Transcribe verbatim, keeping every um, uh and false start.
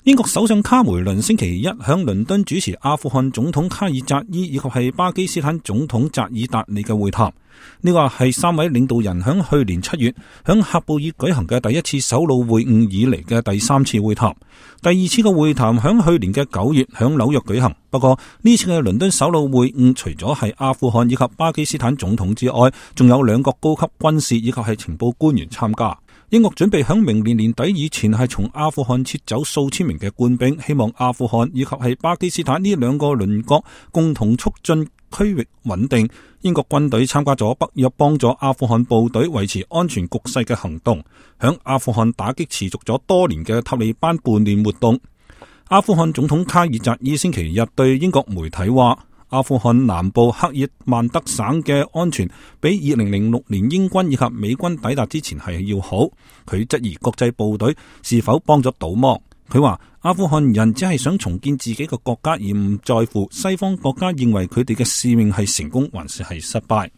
英國首相卡梅倫星期一響倫敦主持阿富汗總統卡爾扎伊以及係巴基斯坦總統扎爾達里嘅會談。呢個係三位領導人響去年七月響喀布爾舉行嘅第一次首腦會晤以嚟嘅第三次會談。第二次嘅會談響去年嘅九月響紐約舉行。不過呢次嘅倫敦首腦會晤除咗係阿富汗以及巴基斯坦總統之外，仲有兩個高級軍事以及係情報官員參加。英國準備響明年年底以前係從阿富汗撤走數千名嘅官兵，希望阿富汗以及係巴基斯坦呢兩個鄰國共同促進區域穩定。英國軍隊參加咗北約幫助阿富汗部隊維持安全局勢嘅行動，響阿富汗打擊持續咗多年嘅塔利班叛亂活動。阿富汗總統卡爾扎伊星期日對英國媒體話，阿富汗南部克爾曼德省嘅安全比二零零六年英軍以及美軍抵達之前係要好。佢質疑國際部隊是否幫咗倒忙。佢話阿富汗人只係想重建自己嘅國家，而唔在乎西方國家認為佢哋嘅使命係成功還是係失敗。